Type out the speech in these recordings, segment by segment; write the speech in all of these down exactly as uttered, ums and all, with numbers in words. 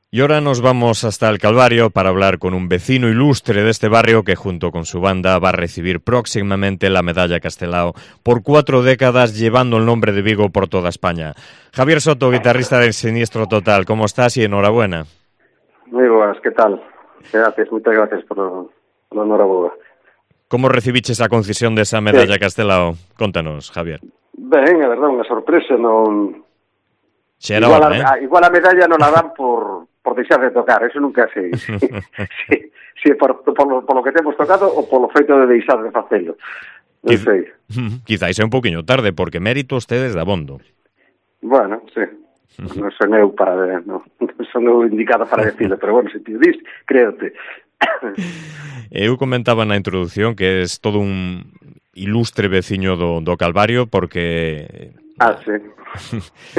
Y ahora nos vamos hasta el Calvario para hablar con un vecino ilustre de este barrio que junto con su banda va a recibir próximamente la Medalla Castelao por cuatro décadas llevando el nombre de Vigo por toda España. Javier Soto, guitarrista de Siniestro Total, ¿cómo estás y enhorabuena? Muy buenas, ¿qué tal? Gracias, muchas gracias por la enhorabuena. ¿Cómo recibiche esa concesión de esa Medalla sí. Castelao? Contanos, Javier. Ben, a verdade, unha sorpresa, non... Xera igual, hora, a, eh? igual a medalla non la dan por, por deixar de tocar, eso nunca sei. Si, si, si por, por, lo, por lo que temos tocado ou por lo feito de deixar de facelo. Non Quiz... sei. Quizáis é un poquinho tarde, porque mérito ustedes de abondo. Bueno, sí. Non son eu para... Non, non son eu indicada para decirlo, pero bueno, se te dis, créote. Eu comentaba na introducción que es todo un ilustre veciño do, do Calvario porque... Ah, sí.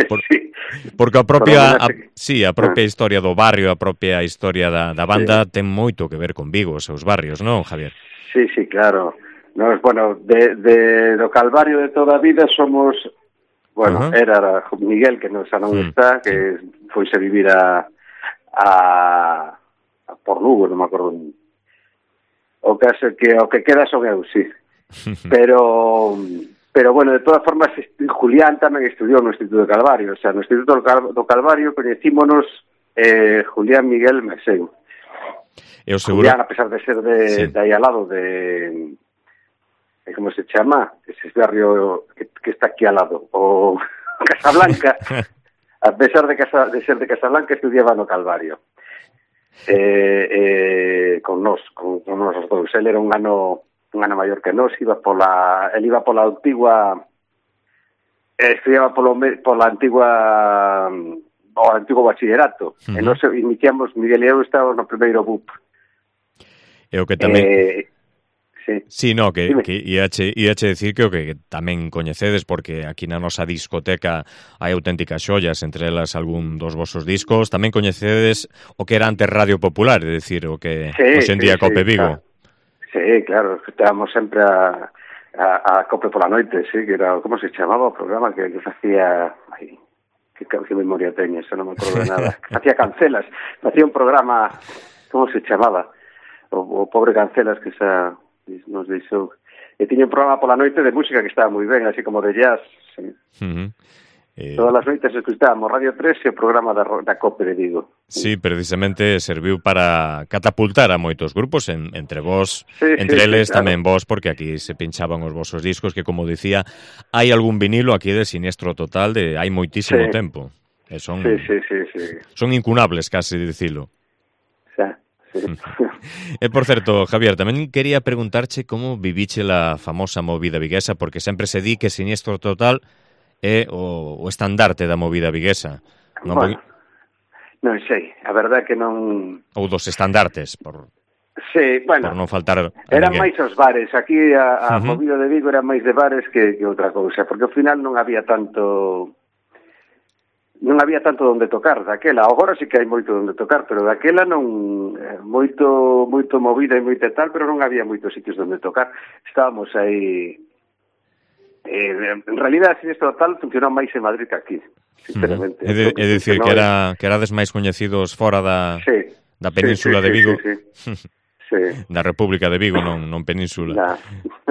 Por, sí. Porque a propia a, que... sí, a propia ah. historia do barrio, a propia historia da, da banda sí. ten moito que ver con Vigo, os seus barrios, non, Javier? Sí, sí, claro. Nos, bueno, de, de do Calvario de toda a vida somos... Bueno, uh-huh. era Miguel, que non xa non mm. está, que foise vivir a, a, a por Lugo, non me acordo. O caso que o que queda son eu, sí. Pero pero bueno, de todas formas Julián tamén estudiou no Instituto do Calvario, o sea, no Instituto do, Cal, do Calvario coñecímonos eh, Julián, Miguel, Meseu. Eu seguro... Julián, a pesar de ser de, sí. de aí al lado de... ¿Cómo se llama? Ese barrio que, que está aquí al lado, o Casablanca, a pesar de, Casa, de ser de Casablanca, estudiaba no Calvario. Eh, eh, con nos, con, con nos os dous. Él era un ano, un ano maior que nos, iba pola, él iba pola antigua, eh, estudiaba polo, pola antigua, o antigo bachillerato. Uh-huh. E nos iniciamos, Miguel e eu estábamos no primeiro B U P. E o que tamén... Eh, Sí, sí, no, que, que iache, iache decir que o que tamén coñecedes, porque aquí na nosa discoteca hai auténticas xollas, entre elas algún dos vosos discos, tamén coñecedes o que era antes Radio Popular, é dicir, o que sí, hoxe en día sí, Cope Vigo. Claro. Sí, claro, estábamos sempre a, a, a Cope pola noite, sí, que era, como se chamaba o programa que, que facía... Ai, que, que memoria teño, eso non me acordo de nada. Facía Cancelas, facía un programa, como se chamaba? O, o pobre Cancelas, que xa... nos deixou. E tiña un programa pola noite de música que estaba moi ben, así como de jazz. Sí. Uh-huh. Eh... Todas as noites escutábamos Radio tres e o programa da, da Cope de Vigo. Sí, precisamente serviu para catapultar a moitos grupos, en, entre vos, sí, entre sí, eles sí, claro. Tamén vos, porque aquí se pinchaban os vosos discos, que como dicía, hai algún vinilo aquí de Siniestro Total de hai moitísimo sí. tempo. E son, sí, sí, sí, sí. son incunables, casi, dicilo. Xa. Sí. E por certo, Javier, tamén quería preguntarche como viviche la famosa movida viguesa, porque sempre se di que Siniestro Total é o, o estandarte da movida viguesa. Non bueno, non sei, a verdade que non... Ou dos estandartes, por, sí, bueno, por non faltar a eran ninguén. máis os bares, aquí a, a uh-huh. movida de Vigo era máis de bares que, que outra cousa, porque ao final non había tanto... non había tanto onde tocar daquela. Agora sí que hai moito onde tocar, pero daquela non moito moito movida e moito tal, pero non había moitos sitios onde tocar. Estábamos aí eh, en realidad Siniestro Total funcionou máis en Madrid que aquí, sinceramente. Uh-huh. É, de, é dicir que era que erades máis coñecidos fora da sí, da península sí, sí, de Vigo. Sí, sí, sí. sí. Da República de Vigo, non non península. Nah.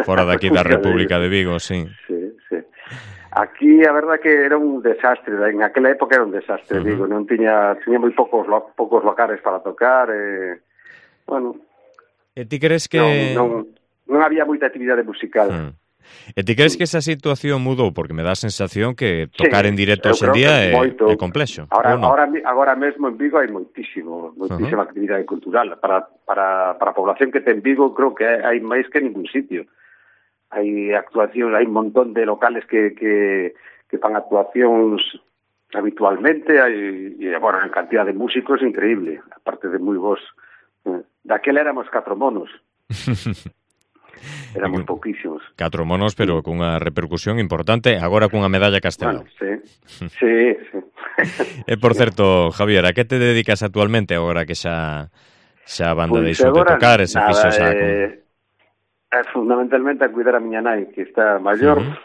Fora daqui da República de Vigo, sí. Sí, sí. Aquí a verdade que era un desastre, en aquela época era un desastre, uh-huh. digo, non tiña tiña moi poucos lo, poucos locales para tocar, e bueno. E ti crees que non, non, non había moita actividade musical. Uh-huh. E ti crees sí. que esa situación mudou? Porque me dá a sensación que tocar sí, en directo hoxe en día é, é complexo. Ahora, ahora, agora mesmo en Vigo hai moitísimo, moitísima uh-huh. actividade cultural. Para, para, para a población que ten Vigo creo que hai máis que ningún sitio. Hai actuacións, hai un montón de locales que, que, que fan actuacións habitualmente, hai, e, bueno, en cantidad de músicos increíble, aparte de moi vos. Daquela éramos catro monos. Éramos pouquísimos. Catro monos, pero cunha repercusión importante, agora cunha medalla Castelao. Bueno, sí, sí, sí. E, por certo, Javier, a que te dedicas actualmente agora que xa, xa a banda pues deixou de tocar, esa fixo xa... Eh... Fundamentalmente a cuidar a miña nai, que está maior, uh-huh.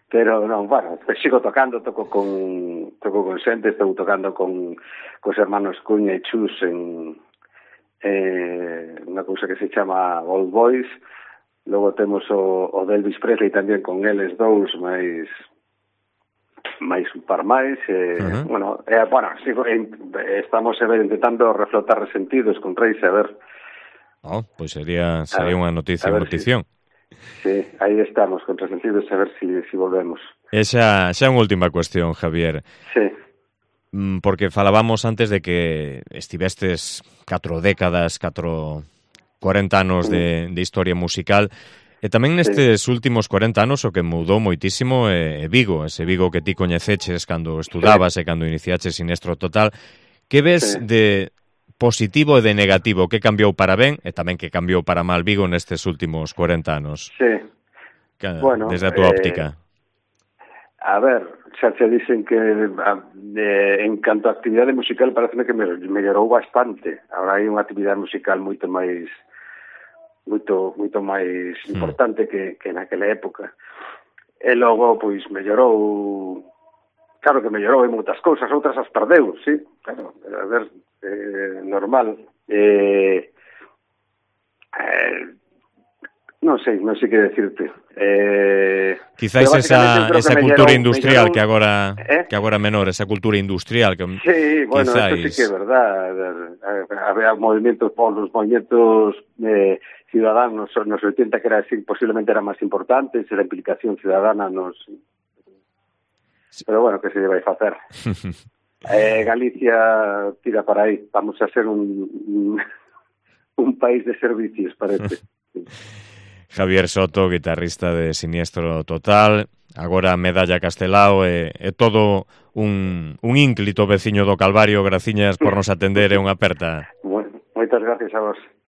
Pero non, bueno, sigo tocando, toco con toco con xente, estou tocando con cos hermanos Cuña e Chus en eh, unha cousa que se chama Old Boys. Logo temos o, o Elvis Presley tamén con eles dous, máis máis un par máis, eh, uh -huh. bueno, eh, bueno, sigo, eh, estamos a ver, intentando reflotar Resentidos con Reis, a ver. Oh, pois pues sería sería unha noticia, unha notición. Si, sí, aí estamos con Resentidos, a ver si, si volvemos. E xa, xa unha última cuestión, Javier. Sí. Porque falábamos antes de que estivestes catro décadas, catro, cuarenta anos de, de historia musical. E tamén nestes sí. últimos cuarenta anos o que mudou moitísimo é Vigo, ese Vigo que ti coñeceches cando estudabas sí. e cando iniciaches Siniestro Total. Que ves sí. de positivo e de negativo? Que cambiou para ben e tamén que cambiou para mal Vigo nestes últimos cuarenta anos? Sí. Que, bueno, desde a túa eh, óptica. A ver, xa se dicen que a, de, en canto a actividade musical parece que me mellorou bastante. Agora hai unha actividade musical moito máis moito moito máis importante mm. que, que naquela época. E logo, pois, mellorou, claro que mellorou en moitas cousas, outras as perdeu, sí, claro, a ver, eh, normal. Eh, eh, non sei, non sei que decirte. Eh, Quizás esa, esa cultura mellorou, industrial mellorou, que agora eh? que agora menor, esa cultura industrial que sí, bueno, quizás... eso sí que é verdad. Había movimientos, los movimientos eh, ciudadanos nos oitenta que era así, posiblemente eran máis importantes, la implicación ciudadana nos... Sí. Pero bueno, que se lle vai facer? eh, Galicia tira para aí, vamos a ser un, un, un país de servicios, parece. Javier Soto, guitarrista de Siniestro Total, agora Medalla Castelao, e, e todo un, un ínclito veciño do Calvario. Graciñas por nos atender e unha aperta. Bueno, moitas gracias a vos.